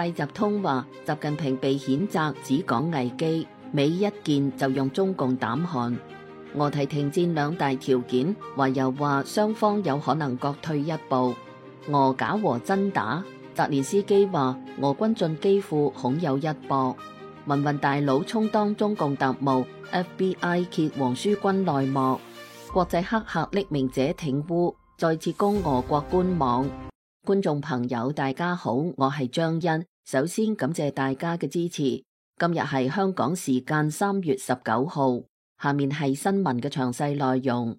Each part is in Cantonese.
拜習通話習近平被譴責只講危機，美一見就用中共膽寒。俄提停戰兩大條件，懷柔話雙方有可能各退一步。俄假和真打，澤連斯基話俄軍進基輔恐有一搏。民運大佬充當中共特務 ，FBI 揭黃書軍內幕。國際黑客匿名者挺烏，再次攻俄國官網。觀眾朋友大家好，我係張欣，首先感謝大家嘅支持。今日係香港時間3月19號。下面係新聞嘅詳細內容。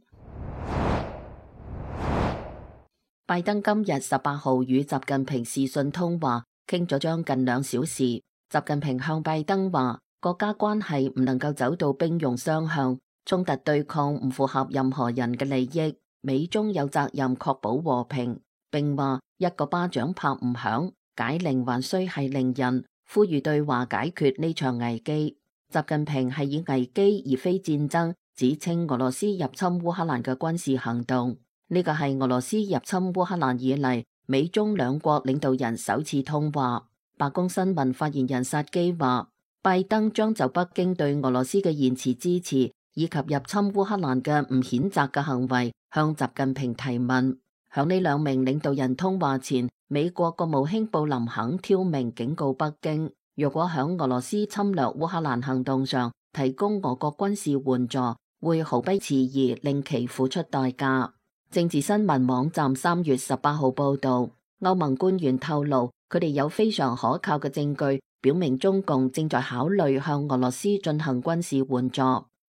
拜登今日18號與習近平視訊通話，傾咗將近2小時。習近平向拜登話，國家關係唔能夠走到兵戎相向，衝突對抗唔符合任何人嘅利益，美中有責任確保和平，並話一個巴掌拍唔響，解鈴還須繫鈴人，呼籲對話解決呢場危機。習近平係以危機而非戰爭，指稱俄羅斯入侵烏克蘭嘅軍事行動。呢個係俄羅斯入侵烏克蘭以嚟，美中兩國領導人首次通話。白宮新聞發言人薩基話，拜登將就北京對俄羅斯嘅言辭支持，以及入侵烏克蘭嘅唔譴責嘅行為，向習近平提問。響呢兩名領導人通話前，美國國務卿布林肯挑明警告北京，若果響俄羅斯侵略烏克蘭行動上提供俄國軍事援助，會毫不遲疑令其付出代價。政治新聞網站3月18號報道，歐盟官員透露，佢哋有非常可靠嘅證據，表明中共正在考慮向俄羅斯進行軍事援助。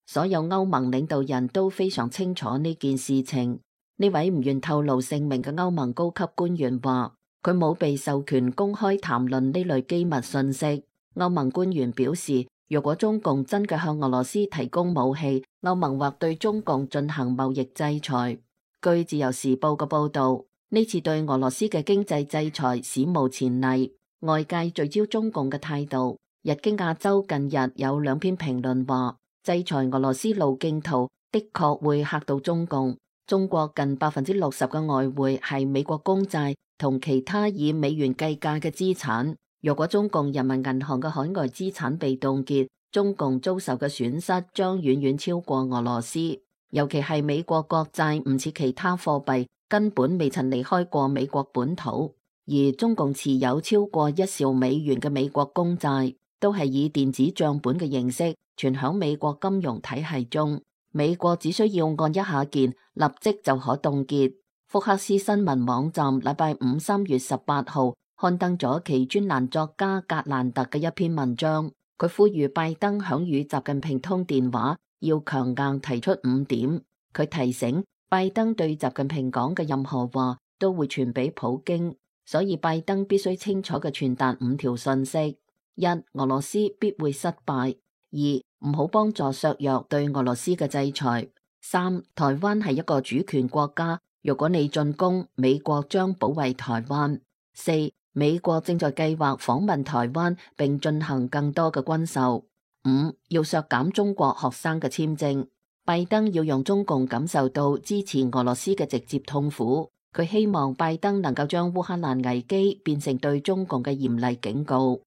所有歐盟領導人都非常清楚呢件事情。呢位唔願透露姓名嘅歐盟高級官員話，佢冇被授權公開談論呢類機密信息。歐盟官員表示，若果中共真嘅向俄羅斯提供武器，歐盟或對中共進行貿易制裁。據自由時報嘅報道，呢次對俄羅斯嘅經濟制裁史無前例，外界聚焦中共嘅態度。日經亞洲近日有2篇評論話，制裁俄羅斯路徑圖的確會嚇到中共。中國近60%嘅外匯係美國公債同其他以美元計價嘅資產。若果中共人民銀行嘅海外資產被凍結，中共遭受嘅損失將遠遠超過俄羅斯。尤其係美國國債唔似其他貨幣根本未曾離開過美國本土，而中共持有超過1兆美元嘅美國公債，都係以電子賬本嘅形式存響美國金融體系中。美國只需要按一下鍵，立即就可凍結。福克斯新聞網站禮拜5 3月18號刊登咗其專欄作家格蘭特嘅一篇文章，佢呼籲拜登響與習近平通電話要強硬提出5點。佢提醒拜登對習近平講嘅任何話都會傳俾普京，所以拜登必須清楚嘅傳達5條信息：一、俄羅斯必會失敗；二、唔好幫助削弱對俄羅斯嘅制裁；三、台灣係一個主權國家，如果你進攻，美國將保衛台灣；四、美國正在計劃訪問台灣並進行更多嘅軍售；五、要削減中國學生嘅簽證。拜登要讓中共感受到支持俄羅斯嘅直接痛苦。佢希望拜登能夠將烏克蘭危機變成對中共嘅嚴厲警告。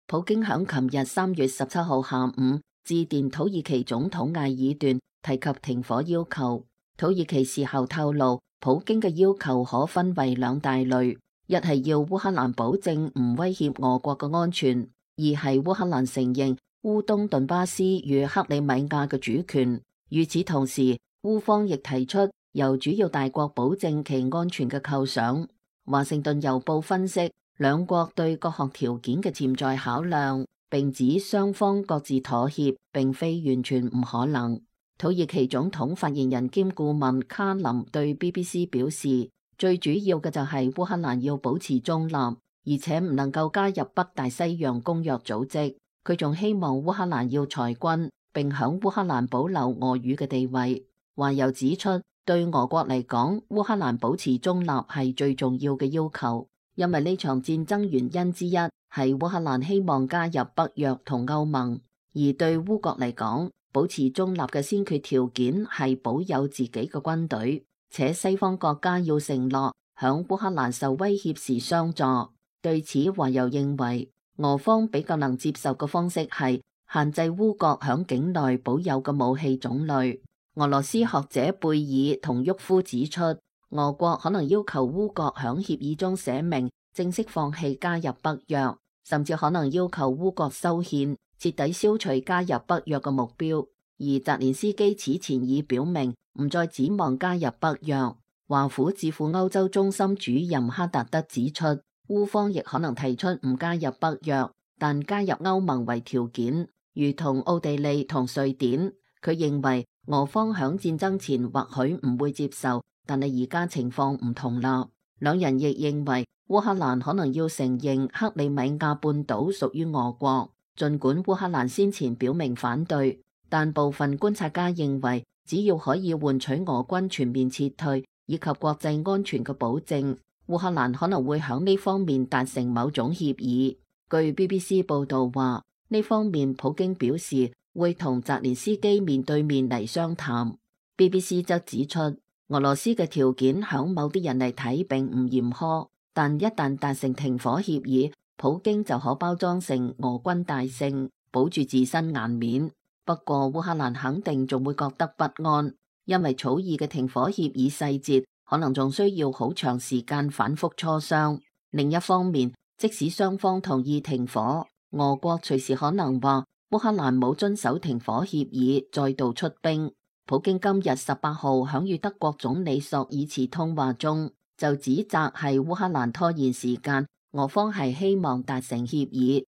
普京響琴日3月17號下午致電土耳其總統埃爾段，提及停火要求。土耳其事後透露，普京嘅要求可分為2大類：一係要烏克蘭保證唔威脅俄國嘅安全；二係烏克蘭承認烏東頓巴斯與克里米亞嘅主權。與此同時，烏方亦提出由主要大國保證其安全嘅構想。華盛頓郵報分析兩國對各項條件嘅潛在考量，並指雙方各自妥協，並非完全唔可能。土耳其總統發言人兼顧問卡林對 BBC 表示，最主要嘅就係烏克蘭要保持中立，而且唔能夠加入北大西洋公約組織。佢仲希望烏克蘭要裁軍，並響烏克蘭保留俄語嘅地位。話又指出，對俄國嚟講，烏克蘭保持中立係最重要嘅要求，因為呢場戰爭原因之一係烏克蘭希望加入北約同歐盟，而對烏國嚟講，保持中立嘅先決條件係保有自己嘅軍隊，且西方國家要承諾響烏克蘭受威脅時相助。對此，華友認為俄方比較能接受嘅方式係限制烏國響境內保有嘅武器種類。俄羅斯學者貝爾同沃夫指出，俄國可能要求烏國響協議中寫明正式放棄加入北約，甚至可能要求烏國修憲，徹底消除加入北約嘅目標。而澤連斯基此前已表明唔再指望加入北約。華府智庫歐洲中心主任哈達德指出，烏方亦可能提出唔加入北約，但加入歐盟為條件，如同奧地利同瑞典。佢認為俄方響戰爭前或許唔會接受，但係而家情況唔同啦。兩人亦認為烏克蘭可能要承認克里米亞半島屬於俄國，儘管烏克蘭先前表明反對，但部分觀察家認為，只要可以換取俄軍全面撤退以及國際安全嘅保證，烏克蘭可能會響呢方面達成某種協議。據 BBC 報道話，呢方面普京表示會同澤連斯基面對面嚟商談。BBC 則指出，俄羅斯嘅條件響某啲人嚟睇並唔嚴苛，但一旦達成停火協議，普京就可包裝成俄軍大勝，保住自身顏面。不過烏克蘭肯定仲會覺得不安，因為草擬嘅停火協議細節可能仲需要好長時間反覆磋商。另一方面，即使雙方同意停火，俄國隨時可能話烏克蘭冇遵守停火協議，再度出兵。普京今日18號響與德國總理朔爾茨通話中，就指責係烏克蘭拖延時間，俄方係希望達成協議。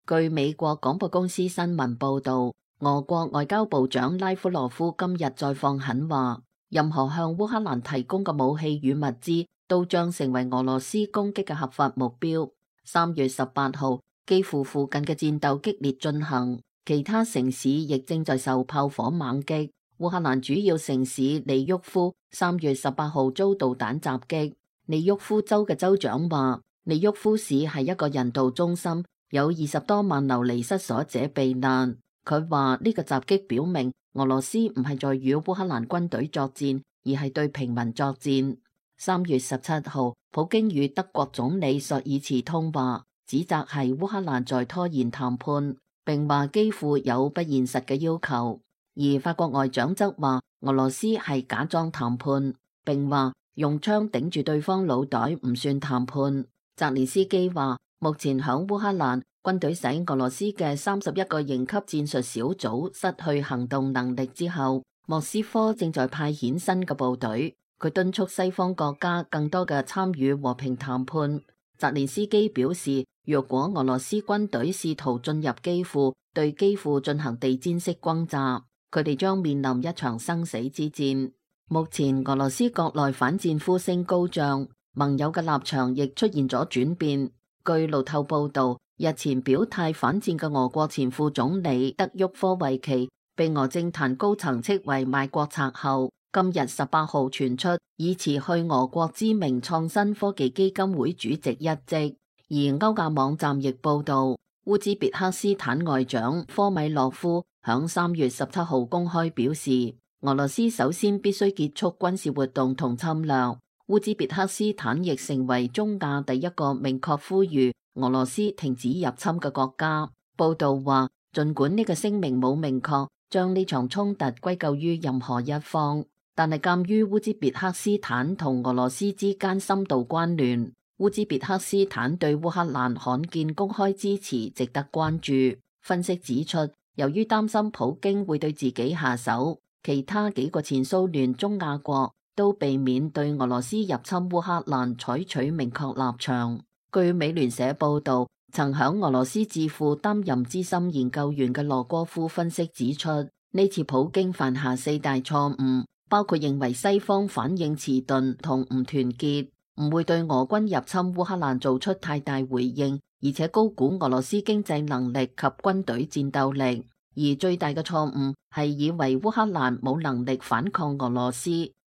據美國廣播公司新聞報道，俄國外交部長拉夫羅夫今日再放狠話，任何向烏克蘭提供嘅武器與物資都將成為俄羅斯攻擊嘅合法目標。3月18號，基輔附近嘅戰鬥激烈進行，其他城市亦正在受炮火猛擊。烏克蘭主要城市利沃夫3月18號遭導彈襲擊。利沃夫州嘅州長話，利沃夫市係一個人道中心，有20多萬流離失所者避難。佢話呢個襲擊表明俄羅斯唔係在與烏克蘭軍隊作戰，而係對平民作戰。3月17號，普京與德國總理朔爾茨通話，指責係烏克蘭在拖延談判，並話基輔有不現實嘅要求。而法國外長則話俄羅斯係假裝談判，並話用槍頂住對方腦袋唔算談判。澤連斯基話，目前響烏克蘭，軍隊使俄羅斯嘅31個營級戰術小組失去行動能力之後，莫斯科正在派遣新嘅部隊。佢敦促西方國家更多嘅參與和平談判。澤連斯基表示，若果俄羅斯軍隊試圖進入基輔，對基輔進行地毯式轟炸，佢哋將面臨一場生死之戰。目前俄羅斯國內反戰呼聲高漲，盟友嘅立場亦出現咗轉變。據路透報道，日前表態反戰嘅俄國前副總理德沃科維奇被俄政壇高層斥為賣國賊後，今日18號傳出已辭去俄國知名創新科技基金會主席一職。而歐亞網站亦報道，烏茲別克斯坦外長科米洛夫響3月17號公開表示，俄羅斯首先必須結束軍事活動同侵略。烏茲別克斯坦亦成為中亞第一個明確呼籲俄羅斯停止入侵嘅國家。報道話，儘管呢個聲明冇明確將呢場衝突歸咎於任何一方，但係鑑於烏茲別克斯坦同俄羅斯之間深度關聯，烏茲別克斯坦對烏克蘭罕見公開支持值得關注。分析指出，由於擔心普京會對自己下手，其他幾個前蘇聯中亞國都避免對俄羅斯入侵烏克蘭採取明確立場。據美聯社報道，曾響俄羅斯智庫擔任資深研究員嘅羅戈夫分析指出，呢次普京犯下4大錯誤，包括認為西方反應遲鈍同唔團結，唔會對俄軍入侵烏克蘭做出太大回應，而且高估俄羅斯經濟能力及軍隊戰鬥力。而最大嘅錯誤係以為烏克蘭冇能力反抗俄羅斯。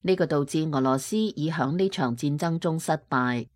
呢個導致俄羅斯已響呢場戰爭中失敗。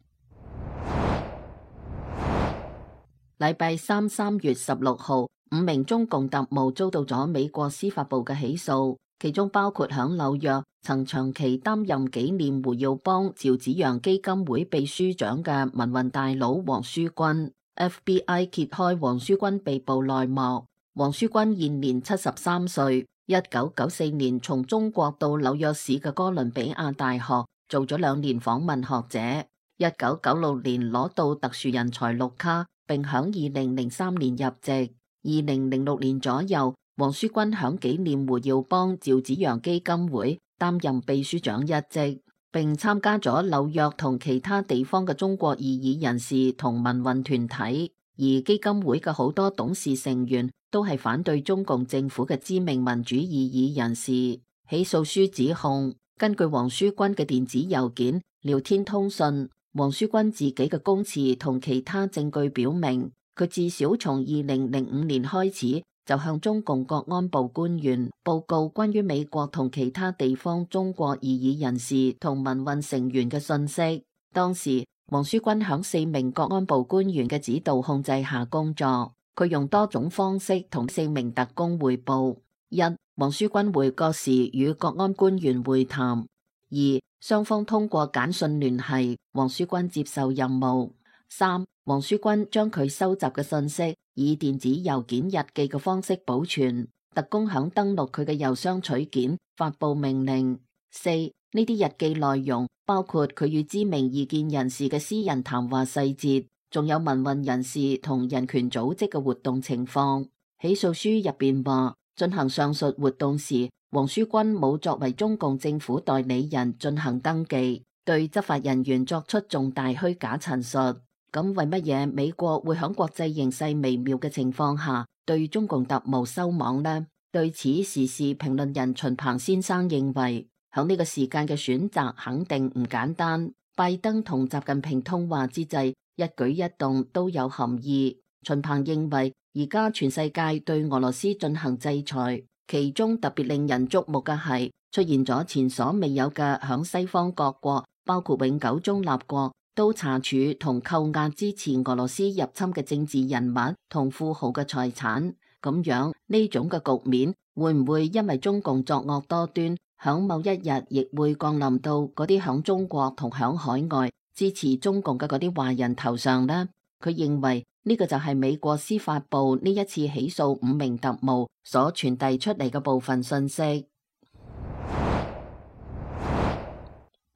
禮拜三3月16號，5名中共特務遭到咗美國司法部嘅起訴，其中包括響紐約曾長期擔任紀念胡耀邦趙紫陽基金會秘書長嘅民運大佬黃書軍。FBI 揭開黃書軍被捕內幕。黃書軍現年73歲，1994年從中國到紐約市嘅哥倫比亞大學做咗2年訪問學者，1996年攞到特殊人才綠卡，並響2003年入籍。2006年左右，黃書軍響紀念胡耀邦趙紫陽基金會擔任秘書長一職，並參加咗紐約同其他地方嘅中國異議人士同民運團體。而基金會嘅好多董事成員都係反對中共政府嘅知名民主異議人士。起訴書指控，根據黃書軍嘅電子郵件、聊天通訊，黃書軍自己嘅供詞同其他證據表明，佢至少從2005年開始就向中共國安部官員報告關於美國同其他地方中國異議人士同民運成員嘅信息。當時黃書軍響4名國安部官員嘅指導控制下工作，佢用多種方式同4名特工匯報：一、黃書軍回國時與國安官員會談；二、雙方通過簡訊聯繫，黃書軍接受任務；三、黃書軍將佢收集嘅信息以電子郵件日記嘅方式保存，特工響登錄佢嘅郵箱取件，發佈命令；四、呢啲日記內容包括佢與知名異見人士嘅私人談話細節，仲有民運人士同人權組織嘅活動情況。起訴書入邊話，進行上述活動時，黃書軍冇作為中共政府代理人進行登記，對執法人員作出重大虛假陳述。咁為乜嘢美國會喺國際形勢微妙嘅情況下對中共特務收網呢？對此，時事評論人秦鵬先生認為，喺呢個時間嘅選擇肯定唔簡單。拜登同習近平通話之際，一舉一動都有含義。秦鵬認為，而家全世界對俄羅斯進行制裁，其中特別令人矚目嘅係出現咗前所未有嘅響西方各國，包括永久中立國，都查處同扣押支持俄羅斯入侵嘅政治人物同富豪嘅財產。咁樣呢種嘅局面會唔會因為中共作惡多端，響某一日亦會降臨到嗰啲響中國同響海外支持中共嘅嗰啲華人頭上呢？佢認為呢個就係美國司法部呢一次起訴5名特務所傳遞出嚟嘅部分信息。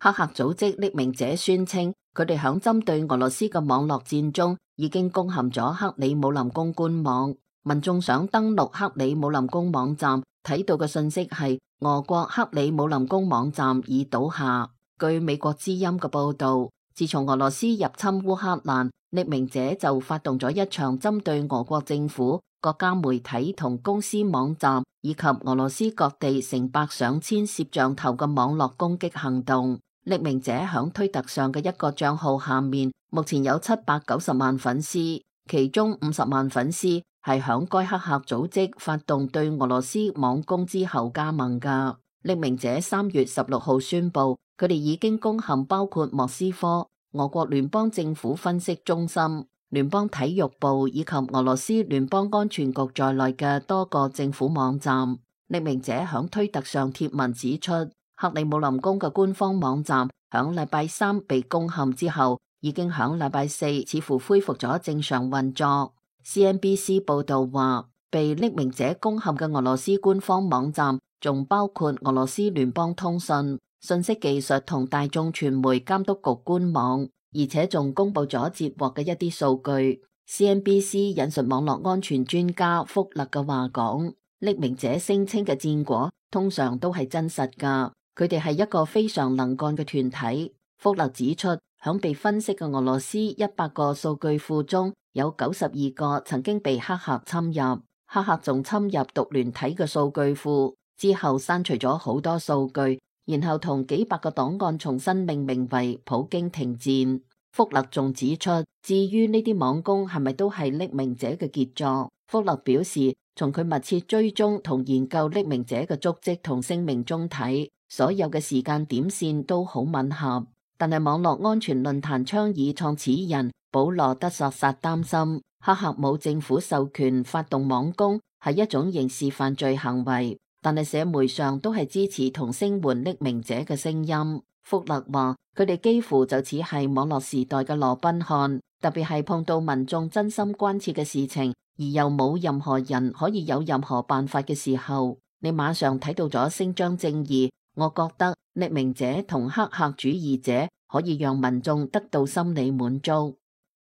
黑客組織匿名者宣稱，佢哋響針對俄羅斯嘅網絡戰中已經攻陷咗克里姆林宮官網。民眾想登錄克里姆林宮網站，睇到嘅信息係俄國克里姆林宮網站已倒下。據美國之音嘅報道，自從俄羅斯入侵烏克蘭，匿名者就發動咗一場針對俄國政府、國家媒體同公司網站以及俄羅斯各地成百上千攝像頭嘅網絡攻擊行動。匿名者響推特上嘅一個賬號下面，目前有790萬粉絲，其中50萬粉絲係響該黑客組織發動對俄羅斯網攻之後加盟噶。匿名者3月16號宣布，佢哋已經攻陷包括莫斯科、俄國聯邦政府分析中心、聯邦體育部以及俄羅斯聯邦安全局在內嘅多個政府網站。匿名者響推特上貼文指出，克里姆林宮嘅官方網站響禮拜3被攻陷之後，已經響禮拜4似乎恢復咗正常運作。CNBC 報道話，被匿名者攻陷嘅俄羅斯官方網站仲包括俄羅斯聯邦通訊、信息技術同大眾傳媒監督局官網，而且仲公布咗截獲嘅一啲數據。CNBC 引述網絡安全專家福勒嘅話講，匿名者聲稱嘅戰果通常都係真實噶。佢哋係一個非常能幹嘅團體。福勒指出，響被分析嘅俄羅斯100個數據庫中，有92個曾經被黑客侵入。黑客仲侵入獨聯體嘅數據庫之後，刪除咗好多數據，然後同幾百個檔案重新命名為普京停戰。福勒仲指出，至於呢啲網攻係咪都係匿名者嘅傑作，福勒表示，從佢密切追蹤同研究匿名者嘅足跡同聲明中睇，所有嘅時間點線都好吻合。但係網絡安全論壇倡議創始人保羅德索薩擔心，黑客冇政府授權發動網攻係一種刑事犯罪行為。但係社媒上都係支持同聲援匿名者嘅聲音。福勒話：佢哋幾乎就似係網絡時代嘅羅賓漢，特別係碰到民眾真心關切嘅事情，而又冇任何人可以有任何辦法嘅時候，你馬上睇到咗伸張正義。我覺得匿名者同黑客主義者可以讓民眾得到心理滿足。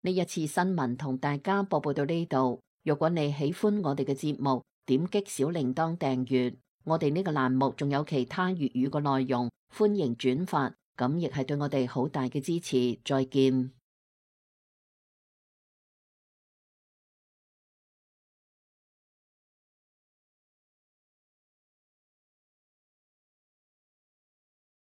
呢一次新聞同大家播報到呢度。如果你喜歡我哋嘅節目，點擊小鈴鐺訂閱。我哋呢個欄目仲有其他粵語嘅內容，歡迎轉發，咁亦係對我哋好大嘅支持。再見。